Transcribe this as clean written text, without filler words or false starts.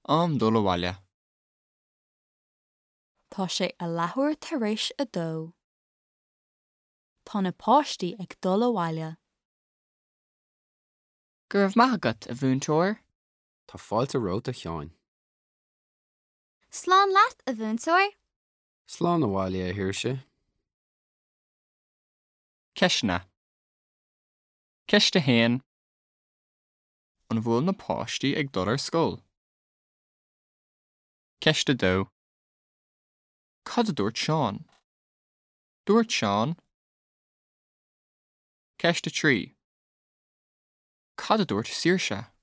Am dul abhaile. Tá sé a leathuair tar éis a dó. Tá na páistí ag dul abhaile. Go raibh maith agat, a mhúinteoir. Tá fáilte romhat, a Sheáin. Slán leat, a mhúinteoir. Slán abhaile, a Shaoirse. Ceisteanna. Ceist 1. An bhfuil na páistí ag dul ar scoil? Ceist 2. Cad a dúirt Seán? Dúirt Seán. Ceist 3. Cad a dúirt Saoirse?